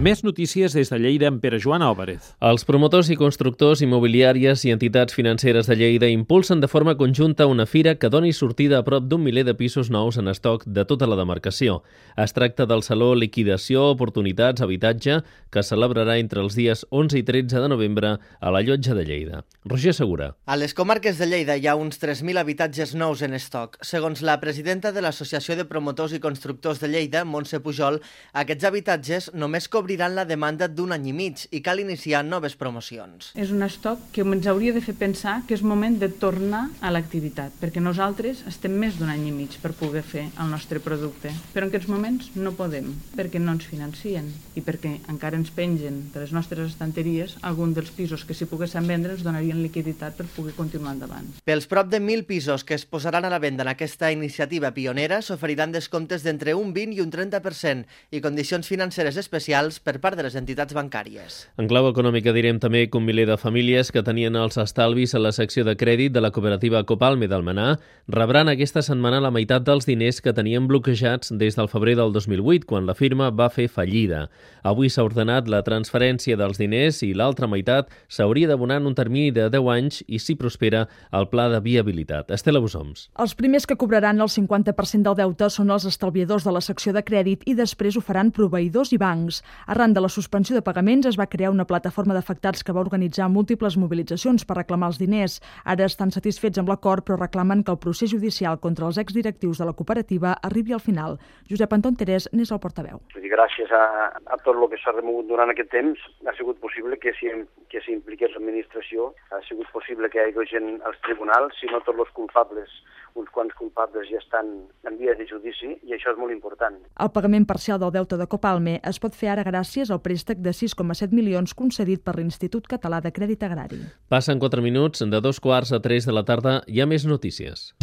Més notícies des de Lleida amb Pere Joan Álvarez. Els promotors i constructors immobiliàries i entitats financeres de Lleida impulsen de forma conjunta una fira que doni sortida a prop d'un miler de pisos nous en estoc de tota la demarcació. Es tracta del Saló Liquidació Oportunitats Habitatge, que es celebrarà entre els dies 11 i 13 de novembre a la Llotja de Lleida. Roger Segura. A les comarques de Lleida hi ha uns 3.000 habitatges nous en estoc. Segons la presidenta de l'Associació de Promotors i Constructors de Lleida, Montse Pujol, aquests habitatges només cobriran la demanda d'un any i mig i cal iniciar noves promocions. És un estoc que ens hauria de fer pensar que és moment de tornar a l'activitat, perquè nosaltres estem més d'un any i mig per poder fer el nostre producte. Però en aquests moments no podem, perquè no ens financien i perquè encara ens pengen de les nostres estanteries algun dels pisos que si poguessin vendre ens donarien liquiditat per poder continuar endavant. Pels prop de 1.000 pisos que es posaran a la venda en aquesta iniciativa pionera s'oferiran descomptes d'entre un 20 i un 30% i condicions financeres especials per part de les entitats bancàries. En clau econòmica direm també que un miler de famílies que tenien els estalvis a la secció de crèdit de la cooperativa Copalme d'Almenar rebran aquesta setmana la meitat dels diners que tenien bloquejats des del febrer del 2008, quan la firma va fer fallida. Avui s'ha ordenat la transferència dels diners i l'altra meitat s'hauria d'abonar en un termini de 10 anys i, si prospera, el pla de viabilitat. Estela Bussoms. Els primers que cobraran el 50% del deute són els estalviadors de la secció de crèdit i després ho faran proveïdors i bancs. Arran de la suspensió de pagaments es va crear una plataforma d'afectats que va organitzar múltiples mobilitzacions per reclamar els diners. Ara estan satisfets amb l'acord, però reclamen que el procés judicial contra els exdirectius de la cooperativa arribi al final. Josep Anton Terès n'és el portaveu. Gràcies a tot el que s'ha remogut durant aquest temps ha sigut possible que s'impliqués l'administració, ha sigut possible que hi hagi gent als tribunals, si no tots els culpables, uns quants culpables ja estan en via de judici i això és molt important. El pagament parcial del deute de Copalme es pot fer ara gràcies al préstec de 6,7 milions concedit per l'Institut Català de Crèdit Agrari. Passen 4 minuts, de 2:15 a 3 de la tarda hi ha més notícies.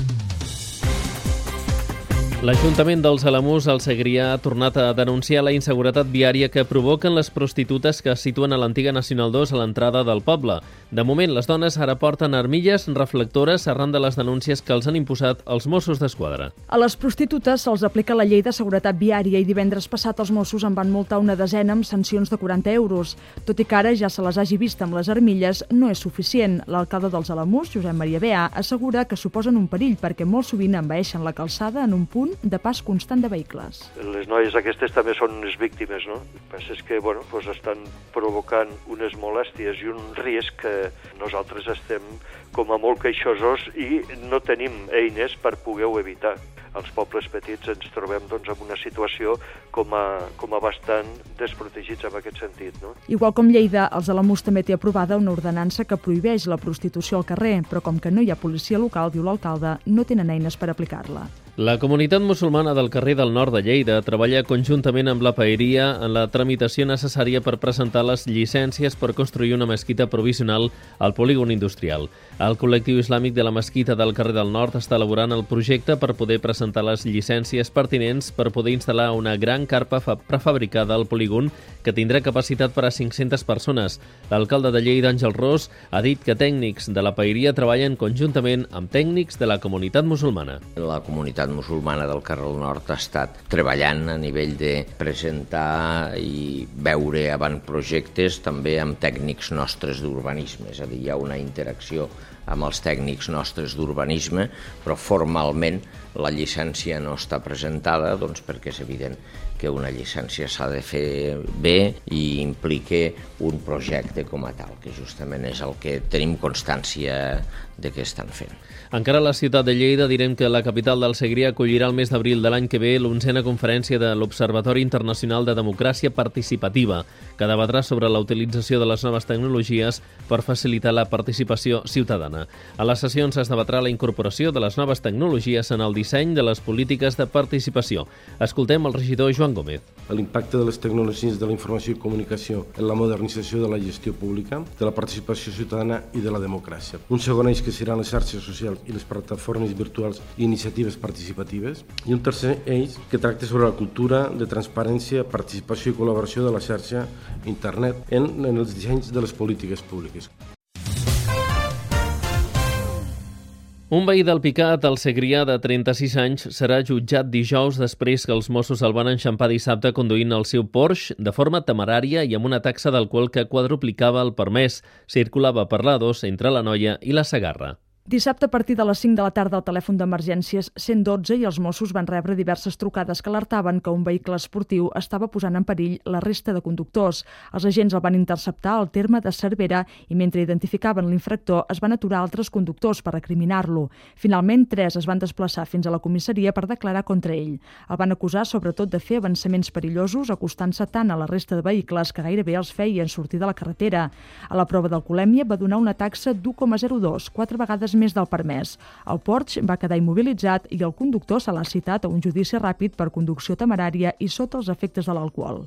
L'Ajuntament dels Alamús, al Segrià, ha tornat a denunciar la inseguretat viària que provoquen les prostitutes que es situen a l'antiga Nacional 2 a l'entrada del poble. De moment, les dones ara porten armilles reflectores arran de les denúncies que els han imposat els Mossos d'Esquadra. A les prostitutes se'ls aplica la llei de seguretat viària i divendres passat els Mossos en van multar una desena amb sancions de 40 euros. Tot i que ara ja se les hagi vist amb les armilles, no és suficient. L'alcalde dels Alamús, Josep Maria Beà, assegura que suposen un perill perquè molt sovint envaeixen la calçada en un punt de pas constant de vehicles. Les noies aquestes també són unes víctimes, no? El que passa és que estan provocant unes molèsties i un risc que nosaltres estem com a molt queixosos i no tenim eines per poder-ho evitar. Als pobles petits ens trobem en una situació com a bastant desprotegits en aquest sentit, no? Igual com Lleida, els Alamús també té aprovada una ordenança que prohibeix la prostitució al carrer, però com que no hi ha policia local, diu l'alcalde, no tenen eines per aplicar-la. La comunitat musulmana del carrer del Nord de Lleida treballa conjuntament amb la paeria en la tramitació necessària per presentar les llicències per construir una mesquita provisional al polígon industrial. El col·lectiu islàmic de la mesquita del carrer del Nord està elaborant el projecte per poder presentar les llicències pertinents per poder instal·lar una gran carpa prefabricada al polígon que tindrà capacitat per a 500 persones. L'alcalde de Lleida, Àngel Ros, ha dit que tècnics de la paeria treballen conjuntament amb tècnics de la comunitat musulmana. La comunitat musulmana del carrer del Nord ha estat treballant a nivell de presentar i veure avantprojectes també amb tècnics nostres d'urbanisme, és a dir, hi ha una interacció amb els tècnics nostres d'urbanisme, però formalment la llicència no està presentada perquè és evident que una llicència s'ha de fer bé i implica un projecte com a tal, que justament és el que tenim constància de què estan fent. Encara a la ciutat de Lleida direm que la capital del Segrià acollirà el mes d'abril de l'any que ve l'11a conferència de l'Observatori Internacional de Democràcia Participativa, que debatrà sobre la utilització de les noves tecnologies per facilitar la participació ciutadana. A les sessions es debatrà la incorporació de les noves tecnologies en el disseny de les polítiques de participació. Escoltem el regidor Joan Gómez. L'impacte de les tecnologies de la informació i comunicació en la modernització de la gestió pública, de la participació ciutadana i de la democràcia. Un segon eix que seran les xarxes socials i les plataformes virtuals i iniciatives participatives. I un tercer eix que tracta sobre la cultura de transparència, participació i col·laboració de la xarxa internet en els dissenys de les polítiques públiques. Un veí del Picat, el Segrià, de 36 anys, serà jutjat dijous després que els Mossos el van enxampar dissabte conduint el seu Porsche de forma temerària i amb una taxa d'alcohol que quadruplicava el permès. Circulava per l'A2 entre l'Anoia i la Segarra. Dissabte, a partir de les 5 de la tarda, el telèfon d'emergències 112 i els Mossos van rebre diverses trucades que alertaven que un vehicle esportiu estava posant en perill la resta de conductors. Els agents el van interceptar al terme de Cervera i mentre identificaven l'infractor es van aturar altres conductors per recriminar-lo. Finalment, 3 es van desplaçar fins a la comissaria per declarar contra ell. El van acusar sobretot de fer avançaments perillosos acostant-se tant a la resta de vehicles que gairebé els feien sortir de la carretera. A la prova d'alcoholèmia va donar una taxa d'1,02, 4 vegades més del permès. El Porsche va quedar immobilitzat i el conductor se l'ha citat a un judici ràpid per conducció temerària i sota els efectes de l'alcohol.